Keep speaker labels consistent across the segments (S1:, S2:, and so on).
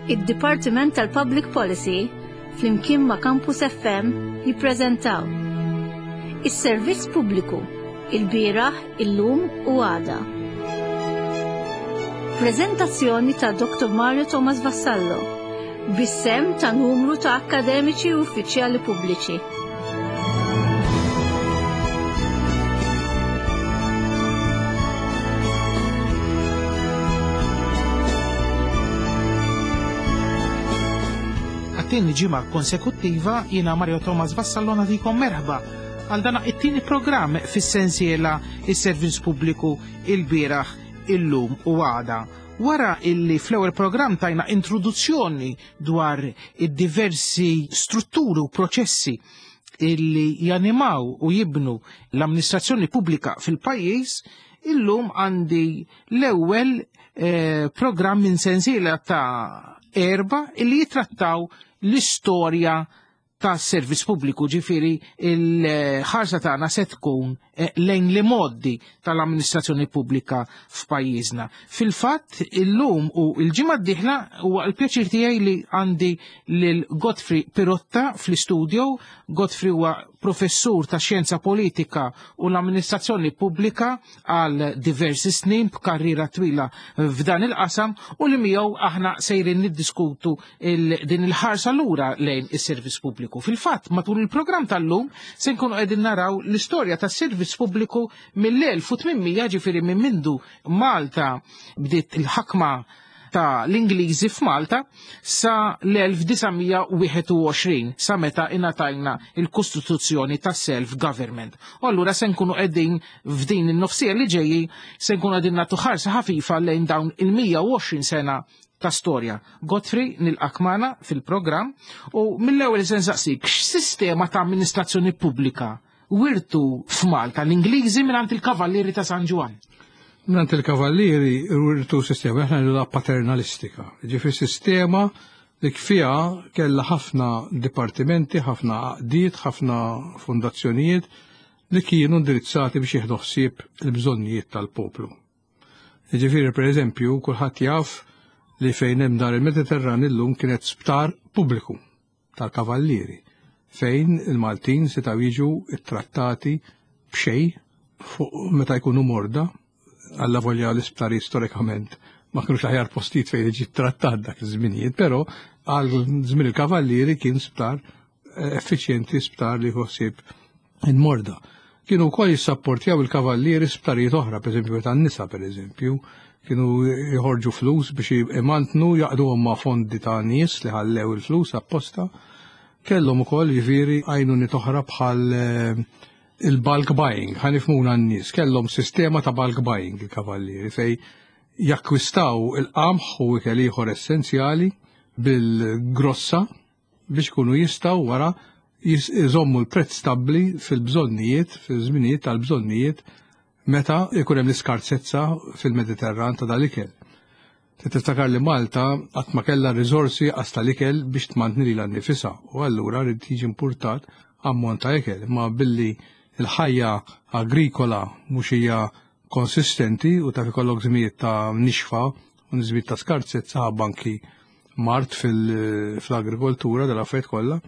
S1: Id-Dipartiment tal-Public Policy flimkien ma' Campus FM jippreżentaw Is-Servizz Pubbliku, ilbieraħ, illum u għada. Preżentazzjoni ta' Dr. Mario Thomas Vassallo, bis-sehem ta' numru ta' akkademiċi u uffiċjali pubbliċi.
S2: Għat-tieni ġimgħa konsekuttiva jiena Mario Thomas Vassallo nagħtikom merħba għal dan it-tieni programm fis-sensiela is-servizz pubbliku il-bieraħ, illum u għada. Wara illi fl-ewwel programm tajna introduzzjoni dwar id-diversi strutturi u proċessi illi janimaw u jibnu l-amministrazzjoni pubblika fil-pajjiż, illum għandi l-ewwel eh, programm minn sensiela ta' erba illi jitrattaw l-istorja ta' servizz pubbliku, ġifiri il-ħarsa tagħna se tkun eh, lejn li moddi tal-amministrazzjoni pubblika f'pajjiżna. Fil-fatt illum u l-ġimgħa d-dieħla huwa l-pjaċir tiegħi li għandi lil Godfrey Pirotta fl-istudio. Godfrey huwa professur ta' xjenza politika u l-amministrazzjoni pubblika għal diversi snin b'karriera twila f'dan il-qasam u li miegħu aħna sejrin niddiskutu il din il-ħarsa lura lejn is-servizz pubbliku. Fil-fatt, matul il-programm tal-lum se nkunu qegħdin naraw l-istorja tas-servizz pubbliku mill-1800 ġifieri minn mindu Malta bdiet il-ħakma ta' l-Ingliżi f'Malta sa l-1921 sa meta ingħatajna il-Kostituzzjoni ta' self-government. U allura se nkunu qegħdin f'din in-nofsija li ġejji se nkunu qegħdin nagħtu ħarsa ħafifa lejn dawn il-120 sena ta' storja. Godfrey nilqak magħna fil-programm u mill-ewwel se nsaqsik x'sistema ta' amministrazzjoni pubblika wirtu f'Malta l-Ingliżi mingħand il-Kavallieri ta' San Ġwann.
S3: Mingħand il-Kavallieri wirtu sistema aħna ngħidulha paternalistika. Ġifieri sistema li fiha kellha ħafna dipartimenti, ħafna għaqdiet, ħafna fondazzjonijiet li kienu indirizzati biex jieħdu ħsieb il-bżonnijiet tal-poplu. Jiġifieri pereżempju kulħadd jaf li fejn hemm dar il-Mediterran illum kienet sptar pubbliku tal-Kavallieri fejn il-Maltin setgħu jiġu ttrattati b'xejn fuq meta jkunu morda alla volja l-isptari storikament ma kienux l-aħjar postijiet fejn jiġi trattat dak iż-żminijiet, però għal żmien il-Kavallieri kien sptar effiċjenti sptar li ħsieb il-morda. Kienu wkoll jissapportjaw il-kavallieri sptarijiet oħra, pereżempju meta n-nisa pereżempju, kienu jħorġu flus biex imantnu jaqduhom ma' fondi ta' nies li ħallew il-flus apposta. Kellhom ukoll jiġifieri għajnuniet oħra bħal eh, il-bulk buying, ħanifmuna n-nies, kellhom sistema ta' bulk buying il-kavallieri fej jakkwistaw il-qamħ u ikel ieħor essenzjali bil-grossa biex ikunu jistgħu wara jżommu l-prezz stabbli fil-bżonnijiet, fil-żminijiet tal-bżonnijiet meta jkun hemm l-iskarsezza fil-Mediterran ta' dal-ikel. Tiftakar li Malta qatt ma kellha riżorsi qas tal-ikel biex tmantni lilha nnifisha u allura rid jiġi importat ammont ta' ikel, imma billi l-ħajja agrikola mhux hija konsistenti u taf ikollok żmijiet ta' nixfa u żmijiet ta' skarsezza ħabba anki mard fl-agrikoltura dal-affarijiet kollha,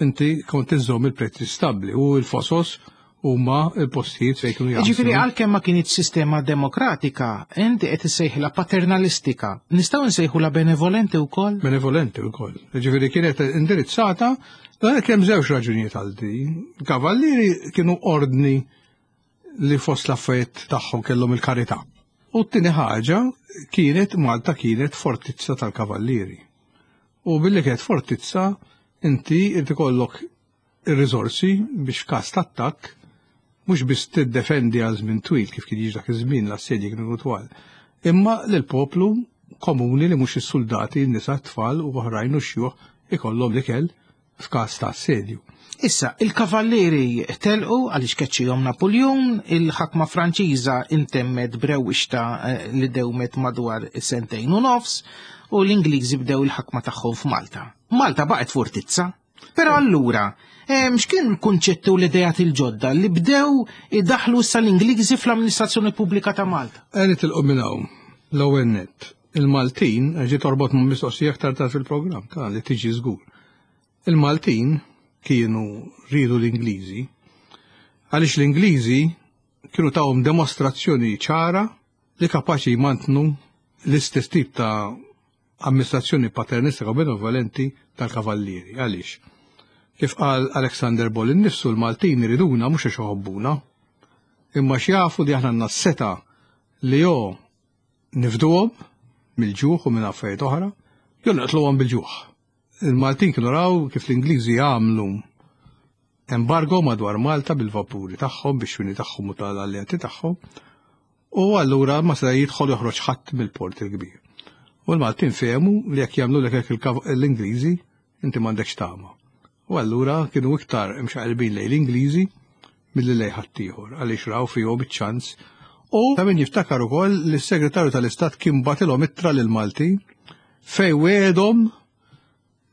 S3: inti kont iżżomm il-prezzi stabbli u l-fosos huma l-postijiet fejn kienu jaħdmu.
S2: Ġifieri għalkemm ma kienx sistema demokratika, inti qed issejħilha paternalistika. Nistgħu nsejħulha benevolenti wkoll?
S3: Benevolenti wkoll. Ġifieri kienet indirizzata dan kemm żewġ raġunijiet għal din. Kavallieri kienu ordni li fost l-affarijiet tagħhom kellhom il-karità. U t-tieni ħaġa kienet Malta kienet fortizza tal-kavallieri. U billi kienet fortizza, inti irid ikollok ir-riżorsi biex f'każ ta' attakk mhux biss tiddefendi għal żmien twil kif kien jiġi dak iż-żmien l-assedji kienu twal, imma lill-poplu komuni li mhux is-suldati, n-nisa, t-tfal u oħrajn u xjuħ ikollhom l-ikel f'każ ta' assedju.
S2: Issa, il-kavallieri telqu għaliex keċċihom Napuljun, il-ħakma Franċiża intemmet brewwixta eh, li dewmet madwar sentejn u nofs, u l-Ingliżi bdew il-ħakma tagħhom f'Malta. Malta baqgħet fortizza. Però allura, eh, x'kien il-kunċetti u l-idejat il-ġodda li bdew idaħlu issa l-Ingliżi fl-amministrazzjoni pubblika ta' Malta?
S3: Għeni tilqu minn hawn, l-ewwel nett. Il-Maltin, ġi torbot ma' mistoqsija aktar tard fil-programm, ta' li tiġi żgur. Il-Maltin kienu riedu l-Ingliżi għaliex l-Ingliżi kienu tawhom demostrazzjoni ċara li kapaċi jmantnu l-istess tip ta' amministrazzjoni paternistika u benevolenti tal-kavallieri. Għaliex? Kif qal Alexander Ball innifsu l-Maltin iriduna mhux għax iħobbuna, imma x'jafu li aħna għandna s-setgħa li jo nifduhom mill-ġuħ u minn affarijiet oħra, jew naqtluhom bil-ġuħ. Il-Maltin kienu raw kif l-Ingliżi għamlu embargo madwar Malta bil-vapuri tagħhom, bix-xwini tagħhom u tal-alleati tagħhom, u allura ma seta' jidħol joħroġ ħadd mill-port il-kbir. U l-Maltin fehmu li jekk jagħmlu lek hekk l-Ingliżi, inti m'għandekx tama. U allura kienu iktar imxaqilbin lejn l-Ingliżi milli lejn ħaddieħor għaliex raw fihom iċ-ċans. U ta' min jiftakar ukoll li s-Segretarju tal-Istat kien bagħtilhom ittra lill-Maltin fejn wegħedhom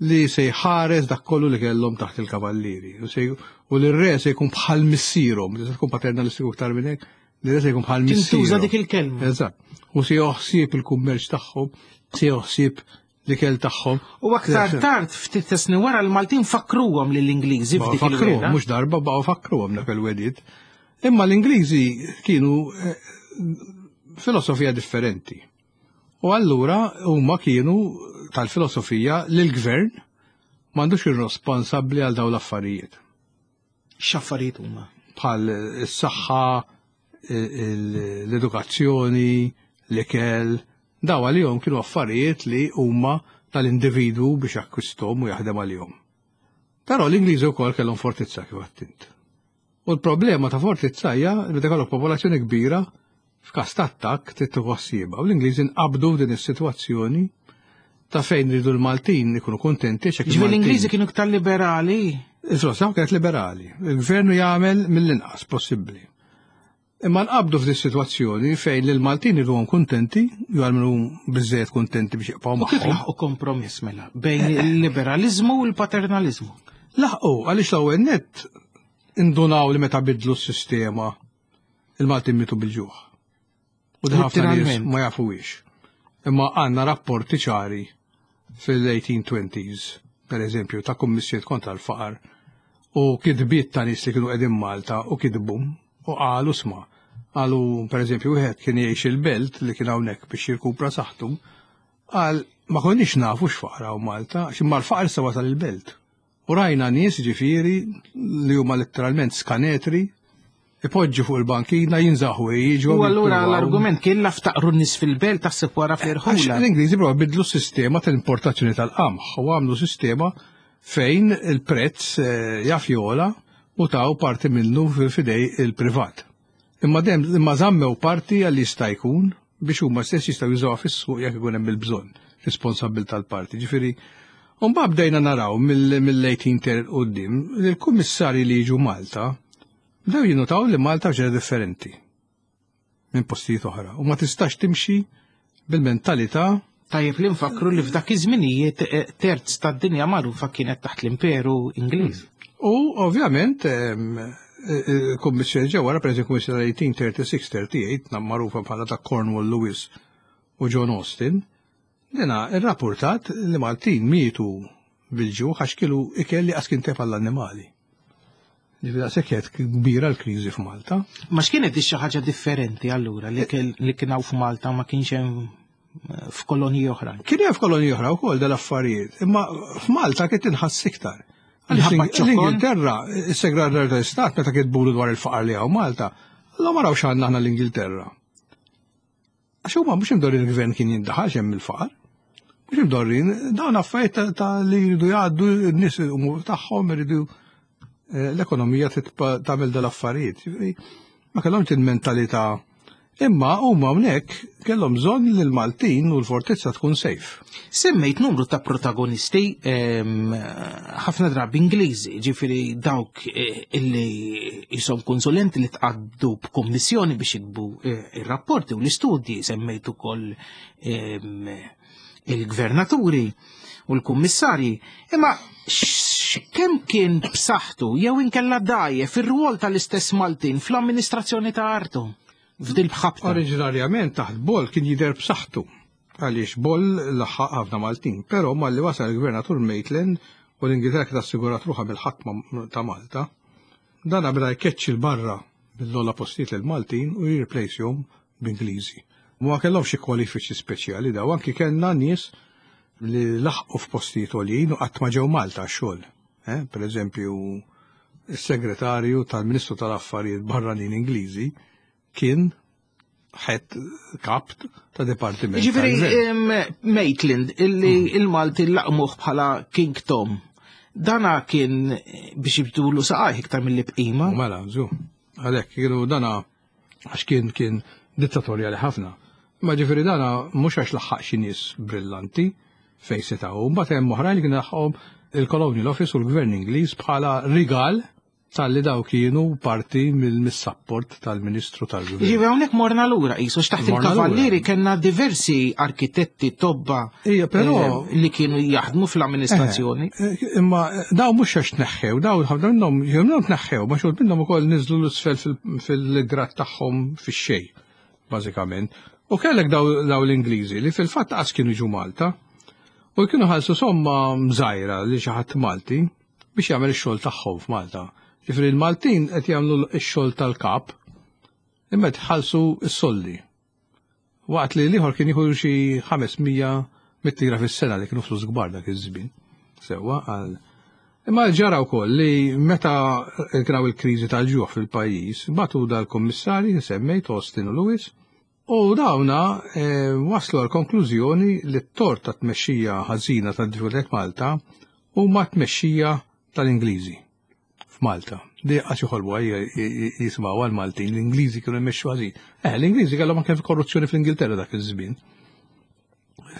S3: li se jħares dak kollu li kellhom taħt il-kavallieri. U li r-re se jkun bħal missierhom, se tkun paternalistiku iktar minn hekk, li re se jkun bħal missierhom.
S2: Tintuża dik il-kelma.
S3: Eżatt. U se joħsieb il-kummerċ tagħhom, se joħsieb l-ikel tagħhom.
S2: U aktar tard ftit ta' snin wara l-Maltin fakruhom lill-Ingliżi f'dik
S3: Fakruhom, mhux darba baqgħu fakruhom dak il-wedid. Imma l-Ingliżi kienu eh, filosofija differenti. U allura huma kienu tal-filosofija li l-gvern m'għandux irresponsabbli għal dawn l-affarijiet.
S2: X'affarijiet huma?
S3: Bħal is-saħħa, l-edukazzjoni, l-ikel, daw għalihom kienu affarijiet li huma tal-individwu biex jakkwisthom u jaħdem għalihom. Però l-Ingliżi wkoll kellhom fortizza kif għattint. U l-problema ta' fortizza hija li meta jkollok popolazzjoni kbira f'każ ta' attakk trid tieħu ħsiebha. U l-Ingliżi nqabdu f'din is-sitwazzjoni ta' fejn ridu l-Maltin ikunu kuntenti
S2: x'hekk Ġifieri l-Ingliżi kienu iktar liberali?
S3: Il-filosofija kienet liberali. Il-gvern jagħmel mill-inqas possibbli. Imma nqabdu f'din sitwazzjoni fejn l-Maltin irduhom kuntenti, jew għalmenu biżejjed kuntenti biex jibqgħu
S2: magħhom. Kif laħqu kompromiss mela bejn il-liberaliżmu u l-paternaliżmu?
S3: Laħqu għaliex l-ewwel nett indunaw li meta bidlu s-sistema il-Maltin mitu bil-ġuħ. U ħafna nies ma jafuhiex. Imma għandna rapporti ċari fil-1820s, per eżempju, ta' kummissjoniet kontra l-faqar u kitbiet ta' nies li kienu qegħdin Malta u kitbu u qalu sma. Qalu, per eżempju, wieħed kien jgħix il-belt li kien hawnhekk biex jirkupra saħħtu, qal ma konniex nafu x'faqar hawn Malta, għax imma l-faqar issa wasal il-belt. U rajna nies ġifieri li huma letteralment skanetri ipoġġu fuq il-bankina jinżaħu jiġu.
S2: U allura l-argument kien la ftaqru n-nies fil-belt taħseb wara fl-irħula.
S3: L-Ingliżi prova bidlu s-sistema tal-importazzjoni tal-qamħ u għamlu sistema fejn il-prezz eh, jaf jola u taw parti minnu fidej il-privat. Imma dem imma żammew parti għal jista' jkun biex huma stess jistgħu jużawha fis-suq jekk ikun hemm il-bżonn responsabbil tal-parti. Ġifieri, mbagħad bdejna naraw mill-18 quddiem li l-kummissarji li jiġu Malta bdew jinnutaw li Malta ġera differenti minn postijiet oħra u ma tistax timxi bil-mentalità
S2: Tajjeb li nfakru li f'dak iż-żminijiet eh, terz tad-dinja magħrufa kienet taħt l-Imperu Ingliż.
S3: U ovvjament eh, eh, kummissjoni ġewwa wara pereżempju kummissjoni 1836-38 magħrufa bħala ta' Cornwall Lewis u John Austin, dina irrapportat li Maltin mietu bil-ġuħ għax kielu ikel li qas kien tef għall-annimali. Ġifieri daqshekk kienet kbira l-kriżi f'Malta.
S2: Ma x'kienet xi ħaġa differenti allura li kien hawn f'Malta ma kienx hemm eh, f'kolonji oħra?
S3: Kien hemm f'kolonji oħra wkoll dal-affarijiet, imma f'Malta kien tinħass iktar. L-Ingilterra, is-Segretarju tal-Istat meta kitbulu dwar il-faqar li hawn Malta, allura ma rawx għandna aħna l-Ingilterra. Għax huma mhux imdorrin il-gvern kien jindaħal xemm il-faqar. Mhux imdorrin, dawn affarijiet ta' li jridu jgħaddu n-nies tagħhom iridu eh, l-ekonomija tagħmel dal-affarijiet. Ma kellhomx il-mentalità Imma huma hawnhekk kellhom bżonn li l-Maltin u l-fortizza tkun safe.
S2: Semmejt numru ta' protagonisti ehm, ħafna drabi Ingliżi, ġifieri dawk eh, illi jisom konsulenti li tqaddu b'kummissjoni biex jikbu eh, ir-rapporti u l-istudji, semmejt ukoll ehm, il-gvernaturi u l-kummissarji. Imma kemm kien b'saħħtu jew inkella dgħajjef ir-rwol tal-istess Maltin fl-amministrazzjoni ta' artu f'dil bħabta?
S3: Oriġinarjament taħt Bol kien jidher b'saħħtu. Għaliex Boll laħħaq ħafna Maltin, però malli wasal il-Gvernatur Maitland u l-Ingilterra kienet assigurat ruħha mill-ħakma ta' Malta, dan beda jkeċċi 'l barra mill-ogħla postijiet lill-Maltin u jirreplacehom b'Ingliżi. Ma kellhomx xi kwalifiċi speċjali daw, anki kellna nies li laħqu f'postijiet għoljin u qatt ma ġew Malta għax-xogħol. Eh, per eżempju, is-segretarju tal-Ministru tal-Affarijiet Barranin Ingliżi kien ħed kap ta' dipartiment.
S2: Ġifieri Maitland illi mm. il-Malti laqmuh bħala King Tom. Dana kien biex jibdulu saqajh iktar mill-li bqima.
S3: Mela, żu. Għalhekk kienu dana għax kien kien dittatorjali ħafna. Ma ġifieri dana mhux għax laħħaq xi nies brillanti fejn setgħu, mbagħad hemm oħrajn li kien laħqhom il-Colonial Office u l-Gvern Ingliż bħala rigal talli daw kienu parti mill-sapport tal-Ministru tal-Gvern.
S2: Ġifieri hawnhekk morna lura qisu x'taħt il-Kavallieri kellna diversi arkitetti tobba
S3: Ija, però
S2: eh, li kienu jaħdmu fl-amministrazzjoni.
S3: Eh, eh, imma daw mhux għax tneħħew, daw ħafna minnhom jew minnhom tneħħew, ma xogħol minnhom ukoll niżlu l-isfel fil-grad tagħhom fix-xejn, bażikament. U kellek daw l-Ingliżi li fil-fatt qas kienu ġu Malta u kienu ħalsu somma mżajra li xi ħadd Malti biex jagħmel ix-xogħol tagħhom f'Malta. Ġifieri l-Maltin qed jagħmlu x-xogħol tal-kap imma tħallsu s-soldi. Waqt li l-ieħor kien jieħu xi 500 mit-tira fis-sena li kienu flus kbar dak iż-żmien. Sewwa għal Imma ġara wkoll li meta kien il-kriżi tal-ġuħ fil-pajjiż, batu dal-kummissarji semmejt Austin u Lewis, u dawna eh, waslu għal konklużjoni li t-tort ta' tmexxija ħażina tad-diffikultajiet Malta huma tmexxija tal-Ingliżi. f'Malta. Di għax joħolbu jisimgħu għal-Maltin, l-Ingliżi kienu jmexxu ħażin. Eh, l-Ingliżi kellhom anke korruzzjoni fl-Ingilterra dak iż-żmien.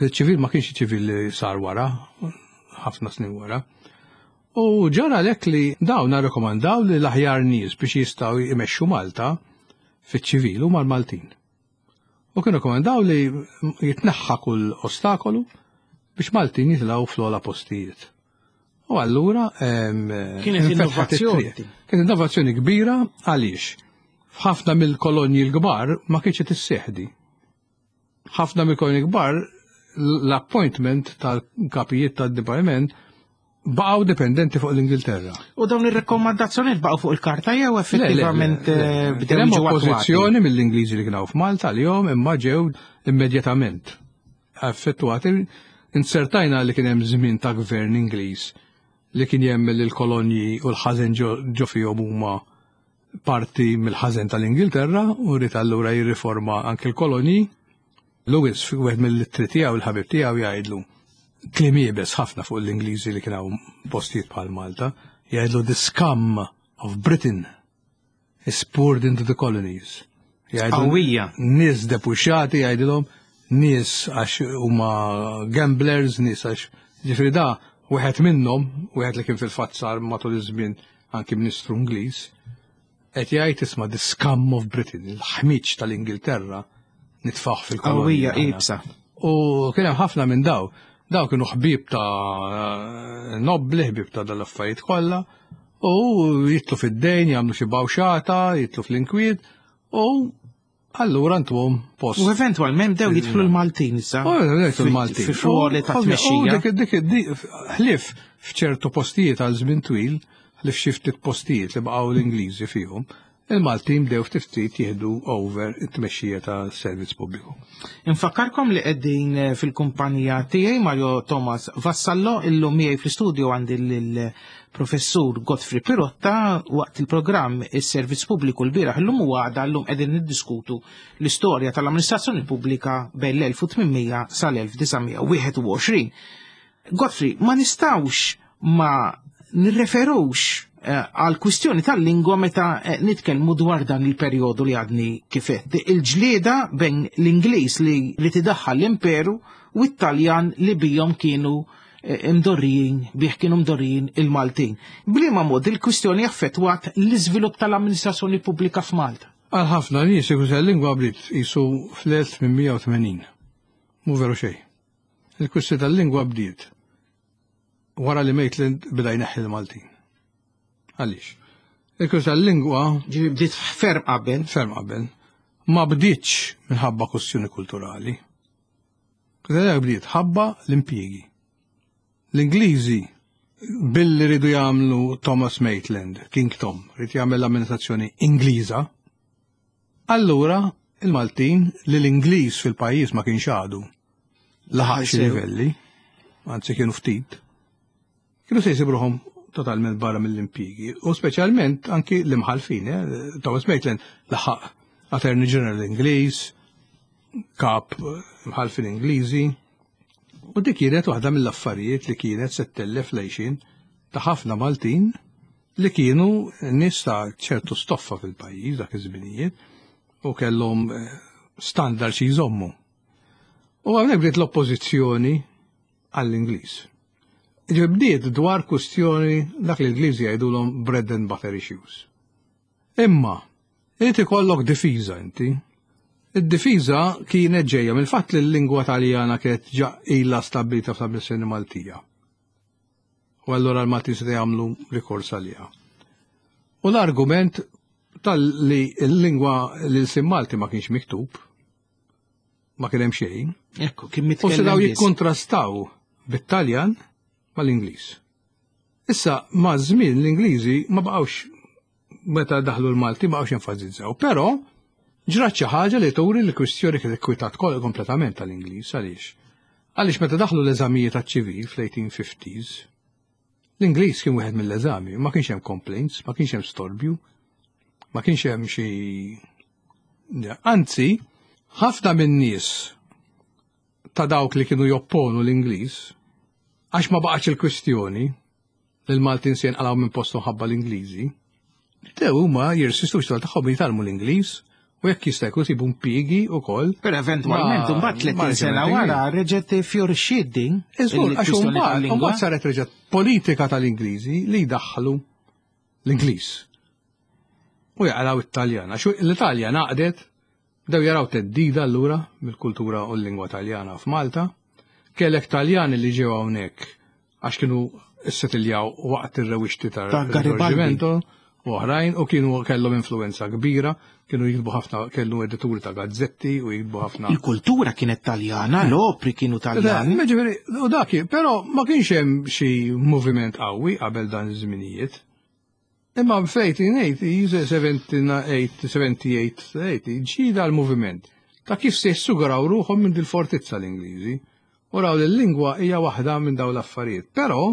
S3: Il-ċivil ma kienx ċivil li sar wara, ħafna snin wara. U ġara lek li dawn rekomandaw li l-aħjar nies biex jistgħu jmexxu Malta fiċ-ċivil huma l-Maltin. U kienu komandaw li jitneħħa kull ostakolu biex Maltin jitilgħu fl-ogħla postijiet. U allura
S2: kienet innovazzjoni.
S3: Kienet innovazzjoni kbira għaliex f'ħafna mill-kolonji l-kbar ma kienx qed isseħdi. Ħafna mill-kolonji kbar l-appointment tal-kapijiet tad-dipartiment baqgħu dipendenti fuq l-Ingilterra.
S2: U dawn ir-rakkomandazzjonijiet baqgħu fuq il-karta jew effettivament eh,
S3: bdew jiġu oppożizzjoni mill-Ingliżi li kienu f'Malta li jom imma ġew immedjatament effettwati. Insertajna li kien hemm żmien ta' gvern Ingliż li kien jemmel li l-kolonji u l-ħażen ġo fihom huma parti mill-ħażen tal-Ingilterra u rrid allura jirriforma anke l-kolonji. Lewis wieħed mill-ittri tiegħu il-ħabib tiegħu jgħidlu kliem iebes ħafna fuq l-Ingliżi li kien hawn postijiet bħal Malta, jgħidlu the scum of Britain is poured into the colonies.
S2: Qawwija.
S3: Nies depuxxati jgħidilhom nies għax huma gamblers, nies għax ġifieri da wieħed minnhom, wieħed li kien fil-fatt sar matul iż-żmien anki Ministru Ingliż, qed jgħid isma' the scum of Britain, il-ħmiġ tal-Ingilterra nitfaħ fil-kolonja.
S2: Qawwija iebsa.
S3: U kien hemm ħafna minn daw. Daw kienu ħbieb ta' nobli, ħbieb ta' dal-affarijiet kollha, u jitlu fid-dejn, jagħmlu xi bawxata, jitlu fl-inkwiet, u allura ntuhom post.
S2: U eventwalment bdew jidħlu l-Maltin issa.
S3: U jidħlu l-Maltin.
S2: Fi ruoli ta' tmexxija.
S3: Dik ħlief f'ċertu postijiet għal żmien twil, ħlief xi ftit postijiet li baqgħu l-Ingliżi fihom, il-Maltin bdew ftit ftit jieħdu over it-tmexxija ta' servizz pubbliku.
S2: Infakkarkom li qegħdin eh, fil-kumpanija tiegħi Mario Thomas Vassallo illum miegħi fl-istudju għandi lill-professur Godfrey Pirotta waqt il-programm is-Servizz Pubbliku l-bieraħ illum u għada llum qegħdin niddiskutu l-istorja tal-amministrazzjoni pubblika bejn l-1800 sal-1921. Godfrey, ma nistawx ma nirreferux eh, għal kwistjoni tal-lingwa meta eh, nitkellmu dwar dan il-perjodu li għadni kifet. Il-ġlieda bejn l-Ingliż li, li tidaħħal l-imperu u t-Taljan li bijom kienu eh, mdorrijin, bih kienu mdorrijin il-Maltin. Bliema mod il-kwistjoni affettwat l-iżvilupp tal-amministrazzjoni pubblika f'Malta.
S3: Għal ħafna nies il lingwa bdiet jisu fl-1880. Mhu veru xejn. Il-kwistjoni tal-lingwa bdiet wara li Maitland beda jneħħi l-Maltin. Għaliex? Il-kwistjoni tal-lingwa
S2: Ġifieri bdiet ferm qabel.
S3: Ferm qabel. Ma bdietx minħabba kwestjoni kulturali. Kwistjoni bdiet ħabba l-impjiegi. L-Ingliżi billi ridu jagħmlu Thomas Maitland, King Tom, rid jagħmel l-amministrazzjoni Ingliża, allura il-Maltin li l-Ingliż fil-pajjiż ma kienx għadu laħaq xi livelli, anzi kienu ftit, kienu se jsibruhom totalment barra mill-impjiegi u speċjalment anki l-imħalfin, eh? Thomas Maitland laħaq Attorney General Ingliż, kap imħalfin Ingliżi, u dik kienet waħda mill-affarijiet li kienet se ttellef l-għixien ta' ħafna Maltin li kienu nies ta' ċertu stoffa fil-pajjiż dak iż-żminijiet u kellhom eh, standard xi jżommu. U hawnhekk bdiet l-oppożizzjoni għall-Ingliż. Ġifieri bdiet dwar kwistjoni dak li l-Ingliżi jgħidulhom bread and butter issues. Imma, irid ikollok difiża inti. Id-difiża kienet ġejja mill-fatt li l-lingwa Taljana kienet ġa ilha stabbilita fl-amministrazzjoni Maltija. U allura l-Maltin se jagħmlu rikors għaliha. U l-argument tal-li l-lingwa l-ilsien Malti ma kienx miktub, ma kien hemm xejn.
S2: Ekku, kien mitkellem.
S3: U setgħu jikkontrastaw bit-Taljan mal-Ingliż. Issa, ma' żmien l-Ingliżi ma baqgħux meta daħlu l-Malti ma baqgħux jenfasizzaw, però ġrat xi ħaġa li turi li kwistjoni kienet ikkwitat kompletament tal-Ingliż għaliex. Għaliex meta daħlu l-eżamijiet għaċ-ċivil fl-1850s, l-Ingliż kien wieħed mill-eżami, ma kienx hemm complaints, ma kienx hemm storbju, ma kienx hemm xi Anzi, ħafna min-nies ta' dawk li kienu jopponu l-Ingliż, għax ma baqgħetx il-kwistjoni li l-Maltin se jinqalgħu minn posthom ħabba l-Ingliżi, bdew huma jirsistu biex tagħhom jitgħallmu l-Ingliż u jekk jista' jkun isibu impjiegi wkoll.
S2: Però eventwalment imbagħad 30 sena wara reġgħet fjorixxiet din.
S3: Iżgur, għax imbagħad saret reġgħet politika tal-Ingliżi li jdaħħlu l-Ingliż. U jaqraw it-Taljan, għax l-Italja naqdet Bdew jaraw theddida allura mill-kultura u l-lingwa Taljana f'Malta. Kellek Taljani li ġew hawnhekk għax kienu ssetiljaw waqt ir-rewixti
S2: ta' Garibaldi
S3: u oħrajn u kienu kellhom influenza kbira, kienu jiktbu ħafna, kellu edituri ta' gazzetti u jiktbu ħafna.
S2: Il-kultura kienet Taljana, l-opri kienu Taljani.
S3: Ġifieri, u dak, però ma kienx hemm xi moviment qawwi qabel dan iż-żminijiet. Imma f-1880, 78, 78, ġie dal-moviment ta' kif se jissuguraw ruħhom minn dil-fortizza l-Ingliżi. U raw li l-lingwa hija waħda minn dawn l-affarijiet. Però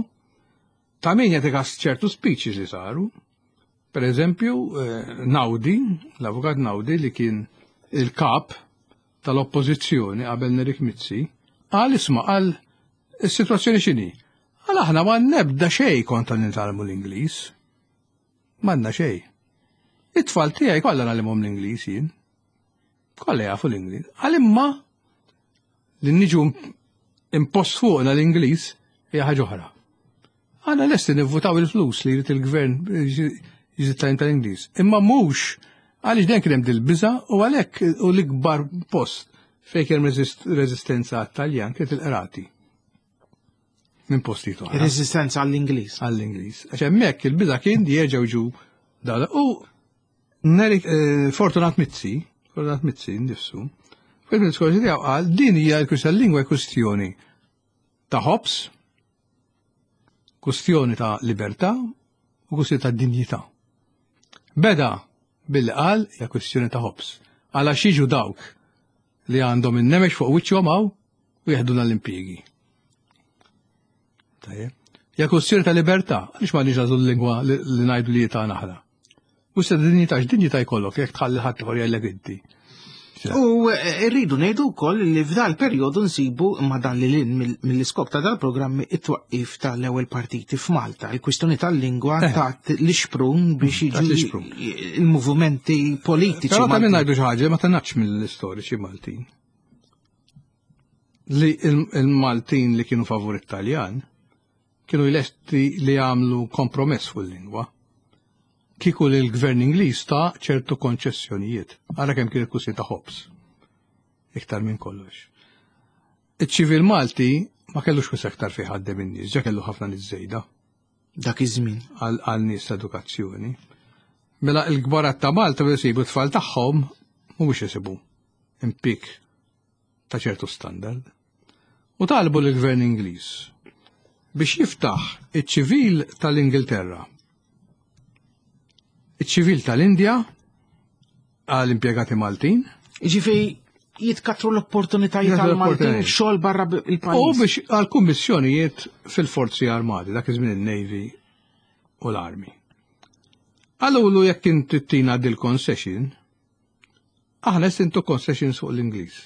S3: ta' min jagħti kas ċertu speeches li saru. Per eżempju, eh, Naudi, l-avukat Naudi li kien il-kap tal-oppożizzjoni qabel Nerik Mizzi, qal isma' qal is-sitwazzjoni x'inhi. Għal aħna ma nebda xejn kontra nitgħallmu l-Ingliż. M'għandna xejn. It-tfal tiegħi kollha ngħallimhom l-Ingliż jien. Kollha jafu l-Ingliż. Għal imma li niġu impost fuqna l-Ingliż hija ħaġa oħra. Għana lesti nivvutaw il-flus li jrid il-gvern jżid tajn tal-Ingliż. Imma mhux għaliex dejjem kien hemm dil-biża' u għalhekk u l-ikbar post fejn kien reżistenza għat-Taljan kienet il-qrati. Minn postijiet oħra.
S2: Reżistenza għall-Ingliż.
S3: Għall-Ingliż. Għax hemmhekk il-biża' kien li jerġgħu ġu dawla. U Nerik eh, Fortunat Mizzi, Fortunat Mizzi nnifsu, fil-diskorsi tiegħu qal din hija l-kwistjoni lingwa kwistjoni ta' ħobż, kustjoni ta' libertà u kustjoni ta' dinjità. Beda billi qal hija kwistjoni ta' ħobż. Għala xiġu dawk li għandhom in-nemex fuq wiċċhom hawn u jeħduna l-impjiegi. Tajjeb. Hija kwestjoni ta' libertà, għaliex ma nix l-lingwa li ngħidu li tagħna aħna. U se dinjità x'dinjità jkollok jekk tħalli ħadd ieħor jgħidlek inti.
S2: U eh, rridu ngħidu wkoll li f'dal perjodu nsibu ma dan li lin mill-iskop ta' dal-programmi it-twaqqif tal-ewwel partiti f'Malta. Il-kwistjoni tal-lingwa eh. ta' l-ixprun biex jiġu il-movimenti politiċi.
S3: Però ta' minn ngħidu xi ħaġa ma tanax mill-istoriċi Maltin. Li il-Maltin li kienu favur it-Taljan kienu lesti li jagħmlu kompromess fuq il-lingwa. Kieku li l-gvern Ingliż ta' ċertu konċessjonijiet. Ara kemm kien il-kussi ta' ħobż. Iktar minn kollox. Iċ-ċivil Malti ma kellux kwis aktar fi ħaddem in-nies, ġa kellu ħafna nies żejda.
S2: Dak iż-żmien.
S3: Għal nies ta' edukazzjoni. Mela l-kbarat ta' Malta biex isibu t-tfal tagħhom mhumiex isibu impik ta' ċertu standard. U talbu lill-Gvern Ingliż biex jiftaħ iċ-ċivil tal-Ingilterra, iċ-ċivil tal-Indja għal impjegati Maltin.
S2: Ġifieri jitkatru l-opportunitajiet għal Maltin xogħol barra il-pajjiż.
S3: U biex għal kummissjonijiet fil-forzi armati, dak iż-żmien il-Navy u l-Army. Għalulu jekk inti tina dil-concession, aħna intu concessions fuq l-Ingliż.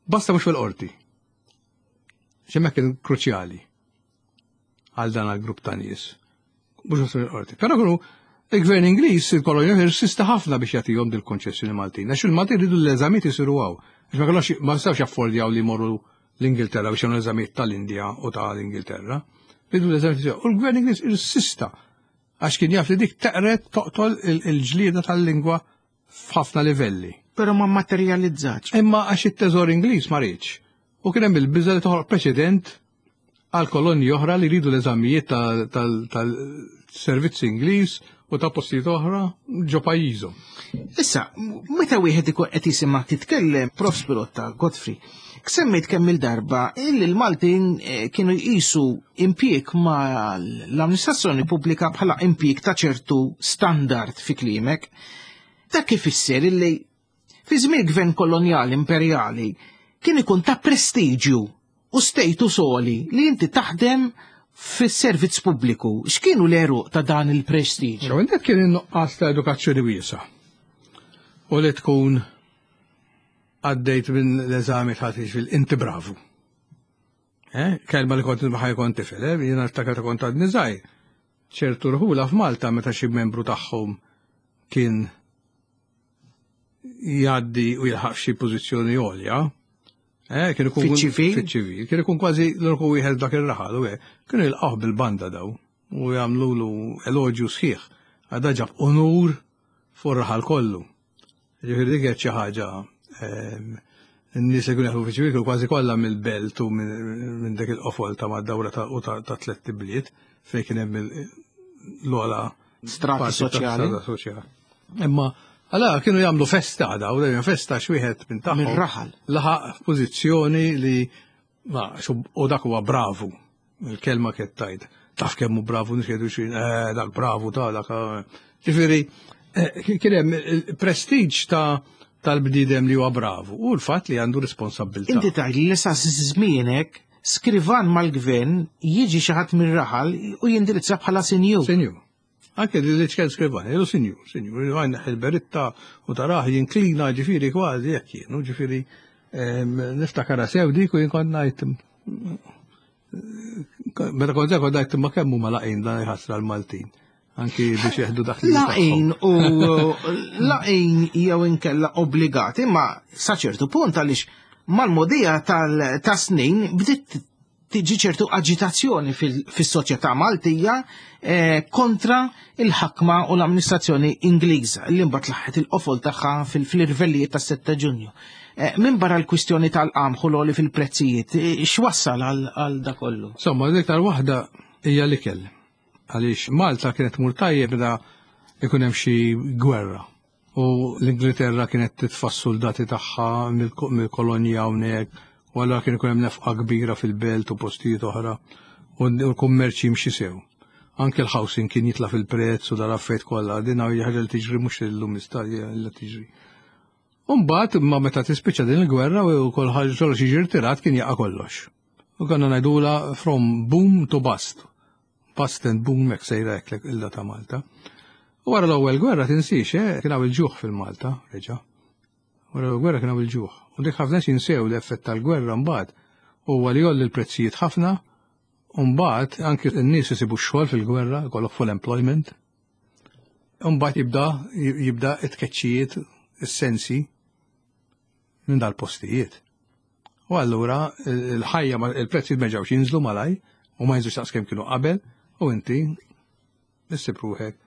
S3: Basta mhux fil-qorti. Xemmek kien kruċjali għal dan għal-grupp ta' nies. Mhux fil-qorti. Però kienu il-gvern Ingliż, il-kolonja insista ħafna biex jagħtihom dil-konċessjoni Maltin. Għax il-Maltin ridu l-eżamiet isiru hawn. Għax ma kellhomx ma jistgħux jaffordjaw li jmorru l-Ingilterra biex jagħmlu l-eżamiet tal-Indja u tal-Ingilterra. Ridu l-eżamiet isiru. U l-gvern Ingliż insista għax kien jaf li dik teqret toqtol il-ġlieda tal-lingwa f'ħafna livelli.
S2: Però ma materializzax.
S3: Imma għax it-teżor Ingliż ma riedx. U kien hemm il-biża li toħloq preċedent għal kolonji oħra li jridu l-eżamijiet tal-servizz Ingliż u ta' postijiet oħra ġo pajjiżhom.
S2: Issa, meta wieħed ikun qed jisimgħek titkellem, Prof. Spirotta, Godfrey, semmejt kemm il-darba illi l-Maltin eh, kienu jqisu impjieg ma l-amministrazzjoni pubblika bħala impjieg ta' ċertu standard fi kliemek. Dak ifisser illi fi żmien gvern kolonjali imperjali kien ikun ta' prestiġju u status għoli li inti taħdem fis-servizz pubbliku. X'kienu l-għeruq ta' dan il-prestiġ?
S3: Dak kien in-nuqqas ta' edukazzjoni wiesa' u li tkun għaddejt minn l-eżami ta' fil inti bravu. Eh? Kelma li kont nibħaj kont tifel, eh? jiena niftakar ta' kont għadni żgħir. Ċertu rħula f'Malta meta xi membru tagħhom kien jgħaddi u jilħaq xi pożizzjoni għolja, eh, kien ikun
S2: fiċ-ċivil,
S3: fiċ-ċivil, kien ikun kważi l-uniku wieħed dak ir-raħal u kienu jilqgħuh bil-banda daw u jagħmlulu eloġju sħiħ għadha ġab unur fuq raħal kollu. Ġifieri dik kienet xi ħaġa ehm, n-nies li kienu jaħdmu fiċ-ċivil kienu kważi kollha mill-belt u minn dak il-qofol ta' mad-dawra u ta' tlett ibliet fejn kien hemm l-ogħla
S2: strati soċjali.
S3: Imma għala kienu jagħmlu festa għada, u dejjem festa x'wieħed minn tagħhom.
S2: Mir-raħal.
S3: Laħaq f'pożizzjoni li ma u dak huwa bravu. Il-kelma kienet tajt. Taf kemm hu bravu nies jgħidu xi eh, dak bravu ta' dak. Eh. Ġifieri eh, kien hemm il-prestiġ ta' tal-bniedem li huwa bravu u l-fatt li għandu responsabbiltà.
S2: Inti tgħid li sa żmienek skrivan mal-gvern jiġi xi ħadd mir-raħal u jindirizza bħala sinjur.
S3: Sinjur. Anke li ċken skrivan, jgħidu sinjur, sinjur, għajn il-beritta u taraħ jinklina ġifieri kważi jekk kienu, ġifieri niftakara sew dik u jien kont ngħid meta kont kont ngħid imma kemm huma laqin dan jħassra l-Maltin. Anki biex jeħdu dak li
S2: Laqin u laqin jew inkella obbligati, ma sa ċertu punt għaliex mal-modija tal-snin bdiet tiġi ċertu aġitazzjoni fis-soċjetà Maltija eh, kontra il-ħakma u l-amministrazzjoni Ingliża li mbagħad laħħet il-qofol tagħha fil-irvellijiet tas-7 Ġunju. Eh, min barra l-kwistjoni tal-qamħ u l fil-prezzijiet, eh, x'wassal għal da kollu?
S3: Insomma, l-iktar waħda hija l-ikel. Għaliex Malta kienet mur tajjeb meta ikun hemm xi gwerra. U l-Ingilterra kienet titfa' s-suldati tagħha mill-kolonji hawnhekk, u allura kien ikun hemm nefqa kbira fil-belt u postijiet oħra, u l-kummerċ jimxi sew. Anke l-housing kien jitla' fil-prezz u dal-affarijiet kollha, din hija ħaġa li tiġri mhux illum iżda ilha tiġri. U mbagħad imma meta tispiċċa din il-gwerra u kollox jiġi rtirat kien jaqa' kollox. U konna ngħidulha from boom to bust. Bust and boom hekk sejra hekk illa ta' Malta. U wara l-ewwel gwerra tinsiex, eh, kien hawn il-ġuħ fil-Malta, reġa'. Wara l-ewwel gwerra kien hawn il-ġuħ. U dik ħafna nies jinsew l-effett tal-gwerra mbagħad huwa li jgħolli l-prezzijiet ħafna u mbagħad anki n-nies isibu x-xogħol fil-gwerra, jkollok full employment. U mbagħad jibda jibda t-tkeċċijiet, is-sensi minn dal-postijiet. U allura il-ħajja il-prezzijiet ma ġewx jinżlu malaj u ma jinżlux daqs kemm kienu qabel u inti issib ruħek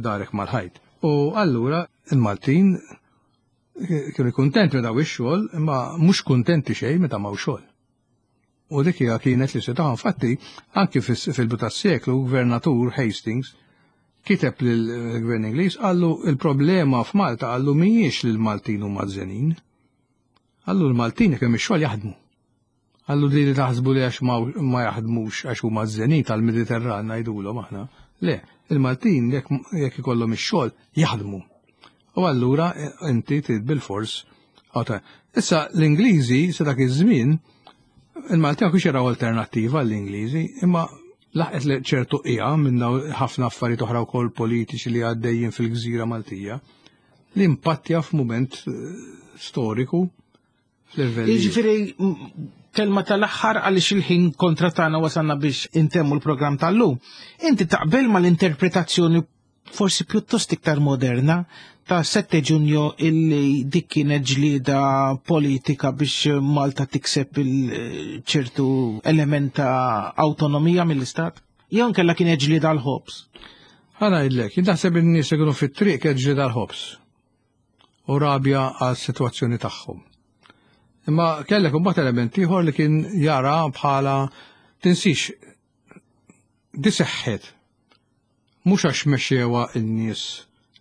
S3: darek mal-ħajt. U allura il-Maltin kienu kuntenti meta ix-xogħol, imma mhux kuntenti xejn meta m'hawn xogħol. U dik hija kienet li setaħ infatti anki fil-bidu tas-seklu gvernatur Hastings kiteb lill-gvern Ingliż qallu il-problema f'Malta qallu mhijiex li l-Maltin huma żenin. Qallu l-Maltin jekk hemm ix-xogħol jaħdmu. Għallu li taħsbu li għax ma jaħdmux għax huma ż-żenit tal-Mediterran ngħidulhom aħna. Le, il-Maltin jekk ikollhom ix-xogħol jaħdmu. U allura eh, inti trid bil-fors. Issa l-Ingliżi sa dak iż-żmien il-Maltin ma kienx jaraw alternattiva l-Ingliżi, imma laħqet li ċertu qija minn ħafna affarijiet oħra wkoll politiċi li għaddejjin fil-gżira Maltija li impattja f'mument eh, storiku
S2: fl-irvellijiet. Jiġifieri kelma tal-aħħar għaliex il-ħin kontra tagħna wasalna biex intemmu l-programm tal-lum. Inti taqbel mal-interpretazzjoni forsi pjuttost iktar moderna ta' 7 Ġunju illi dik kienet ġlieda politika biex Malta tikseb il-ċertu element ta' awtonomija mill-Istat? Jew nkella kienet ġlieda l-ħobs?
S3: Ħa ngħidlek, jien naħseb in-nies li kienu fit-triq kienet ġlieda l-ħobs u rabja għas-sitwazzjoni tagħhom. Imma kellek imbagħad element ieħor li kien jara bħala tinsix di seħħet mhux għax mexxewha n-nies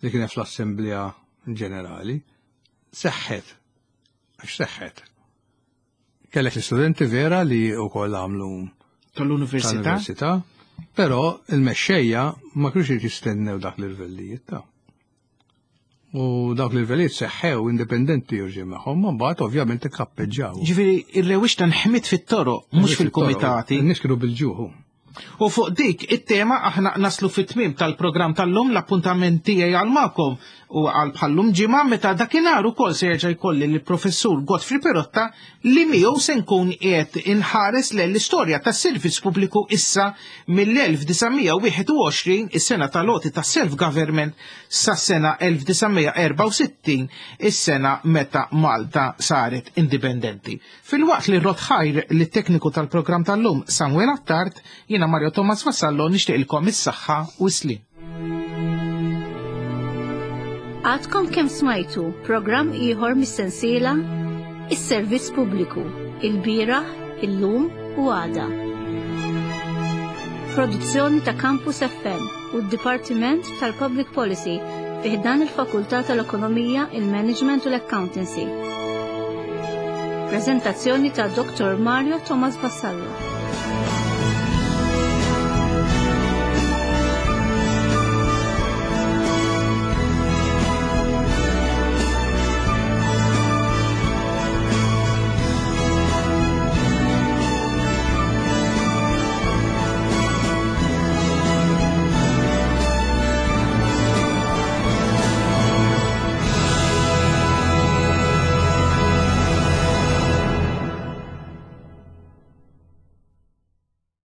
S3: li kien fl-Assemblea Ġenerali, seħħet għax seħħet. Kellek l-istudenti vera li wkoll għamlu
S2: tal-università.
S3: Tal-università, però il-mexxejja ma kienux jistennew dak l-irvellijiet ta' U dawk l-irvelijiet seħħew indipendenti u ġie magħhom, ma mbagħad ovvjament ikkappeġġaw.
S2: Ġifieri ir-rewwixta nħmit fit-toroq, mhux fil-kumitati.
S3: Nies kienu bil-ġuħu.
S2: U fuq dik it-tema aħna naslu fit-tmiem tal-programm tal-lum l-appuntament tiegħi għal magħkom u għal bħallum ġimgħa meta dakinhar ukoll se jerġa' jkolli lill-Professur Godfrey Perotta li miegħu se nkun qiegħed inħares lejn l-istorja tas-servizz pubbliku issa mill-1921 is-sena tal-għoti tas-self-government sas-sena 1964, is-sena meta Malta saret indipendenti. Filwaqt li rrodd ħajr lit-tekniku tal-programm tal-lum Samuel Attard, jiena Mario Thomas Vassallo nixtieqilkom is-saħħa u s-sliem.
S1: Għadkom kemm smajtu programm ieħor mis-sensiela Is-Servizz Pubbliku, il-bieraħ, illum u għada. Produzzjoni ta' Campus FM u d-Dipartiment tal-Public Policy fi ħdan il-Fakultà tal-Ekonomija, il-Management u l-Accountancy. Prezentazzjoni ta' Dr. Mario Thomas Vassallo.